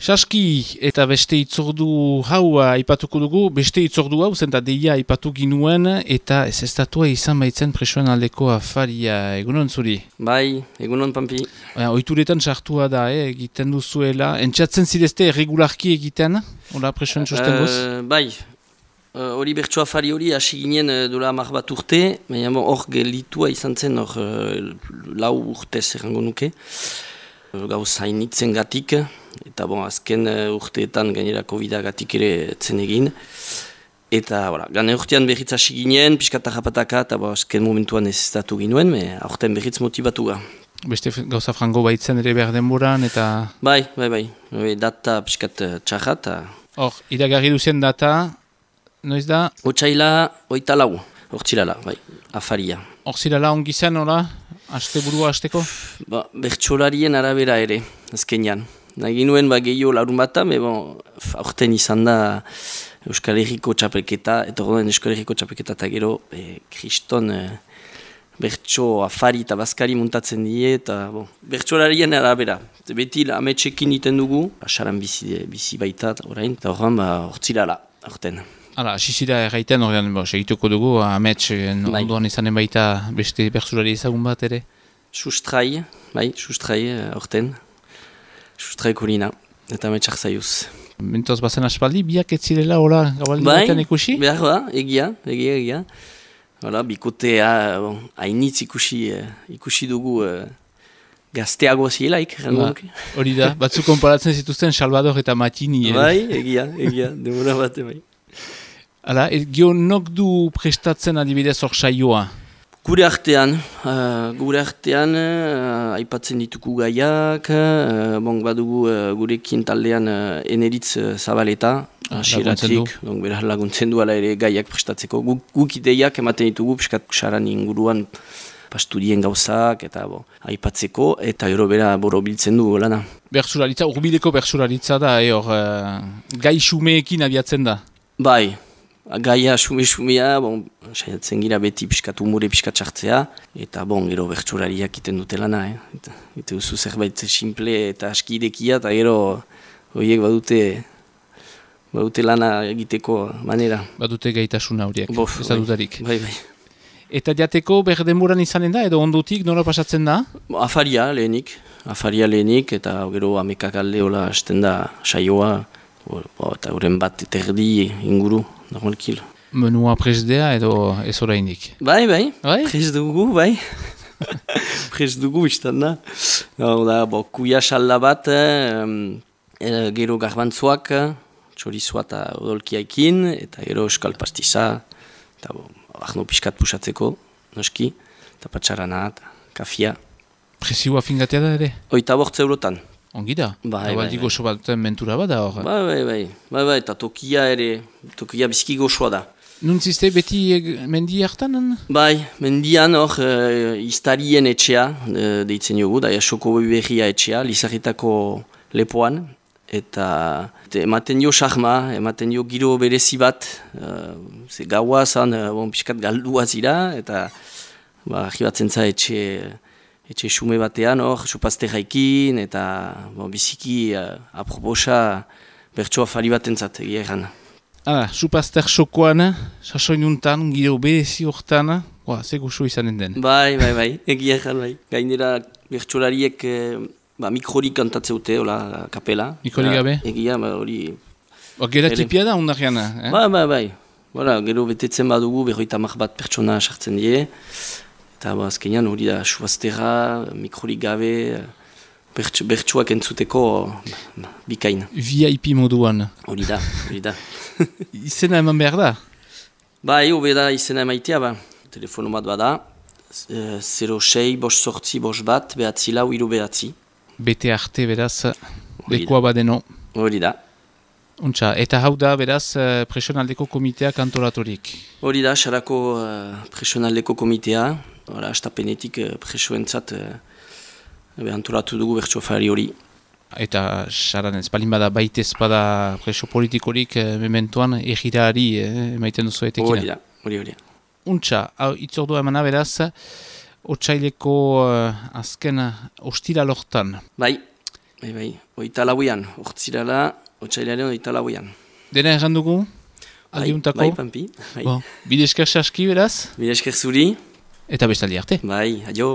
Saski eta beste itzordu hau aipatuko dugu, beste itzordu hau zenta deia aipatu ginuen eta ezestatua izan baitzen presoen aldeko afaria. Egunon zuri? Bai, egunon Pampi. Oituretan sartua da, egiten duzuela. Entxatzen zidezte regularki egiten, hola presoen sustenguz? Bai, hori bertso afari hori hasi ginen dola 10 bat urte, baina hor gelitua izan zen hor 4 urtez errango nuke. Gauz hainitzen gatik, eta azken urteetan gainera COVID-a gatik ere etzen egin. Eta gane urtean berriz hasi ginen, pixkata japataka, eta azken momentuan ez estatu ginuen, aurten berriz motibatua. Beste gauza frango baitzen ere behar denboran, eta... Bai, data pixkat txarra, eta... Hor, iragarri duzien data, noiz da? Otsaila 24, hortzilala, bai, afaria. Horzilala ongi zen, hola? Asteburua hasteko? Bertsolarien arabera ere, azkenean. Nagi nuen gehiago larun bata, aurten izan da Euskal Herriko txapelketa, eta horren Euskal Herriko txapelketa eta gero kriston bertso afari eta bazkari muntatzen die, eta bertsolarien arabera. Beti ametsekin iten dugu, asaran bizi baita orain, eta horren hortzilala, aurten. Hala, asizira erraiten horrean, segituko dugu, amets ondoan izanen baita beste bertsolari ezagun bat ere? Sustrai, aurten. Sustrai Korina, eta ametsak zaiuz. Mentoz bazen aspaldi, biak ez zirela hola gabaldi batean ikusi? Behar da, egia. Hola, bikotea hainitz ikusi dugu gazteago zielaik. Hori da, batzuk konparatzen zituzten Salvador eta Matini. Bai, egia, demora bate bai. Hala, gionok du prestatzen adibidez hor saioa? Gure artean, aipatzen ditugu gaiak, badugu gurekin taldean Eneritz Zabaleta, hasieratik, beraz laguntzen du ala ere gaiak prestatzeko. Guk ideiak ematen ditugu, piskat saran inguruan pasturien gauzak, eta aipatzeko, eta gero bera borobiltzen du lana. Bertsolaritza, urbileko bertsolaritza da, gai xumeekin abiatzen da? Bai. Gaia xume-xumea, saiatzen gira beti piskat umore piskat sartzea, eta gero bertsolariak iten dute lana, Eta duzu zerbait simple eta askidekia, eta gero horiek badute lana egiteko manera. Badute gaitasuna horiek, ez da dutarik. Bai. Eta jateko berdenboran izanen da, edo ondutik, nola pasatzen da? Afaria lehenik, eta gero amekak alde hola hasten da saioa, eta horren bat terdi inguru, normalkil. Menua presdea edo ez orainik? Bai, pres dugu, bai. Pres dugu izan da. Kuia salda bat, gero garbantzuak, txorizua eta odolkiaikin, eta gero euskal pastiza, eta ahno piskat pusatzeko, noski, eta patxarana, eta kafia. Presioa fingatea da ere? 8 eurotan. Ongi da? Bai. Goxo bat mentura bat da hor? Bai, eta tokia biziki goxoa da. Nuntzizte beti mendi hartan? Bai, mendian hor iztarien etxea, deitzen jogu, da Jasoko Berria etxea, Lizarritako lepoan, eta ematen jo sahma, ematen jo giro berezi bat, ze gaua zan, piskat galdua zira, eta arribatzen za etxe xume batean hor, supazte jaikin, eta biziki aproposa bertso afari bat entzat, egia erran. Supazter xokoan, sasoinuntan, giro berezi hortan, ze goxo izanen den. Bai, egia erran, bai. Gainera bertsolariek mikrorik kantatzeute, hola, kapela. Mikrorik gabe? Egia, hori... Gera tipia da, ondarean, Bai. Gero betetzen badugu, 50 bat pertsona sartzen die, eta azkenean hori da suaztera, mikrorik gabe, bertsuak entzuteko bikain. VIP moduan. Hori da. Izena eman behar da? Bai, hobe da izena emaitea, telefono bat bada, 06 bost sortzi bost bat, behatzi lau iru behatzi. Bete arte beraz, lekoa badeno. Hori da. Untxa, eta hau da beraz presionaldeko komiteak antolatorik? Hori da, xarako presionaldeko komitea, astapenetik presoentzat antolatu dugu bertsofari hori. Eta xaran ez balin bada baitez bada preso politikorik mementoan egirari emaiten duzu etekina? Hori. Untxa, itzordua emana beraz, otsaileko azken ostira lortan. Bai, Oita lauian, urtzirala, otsailaren oita lauian. Dena erran dugu? Aldiuntako? Bai, Pampi. Bon, bide esker saski beraz? Bide esker zuri. Eta bestaldi arte. Bai, adio.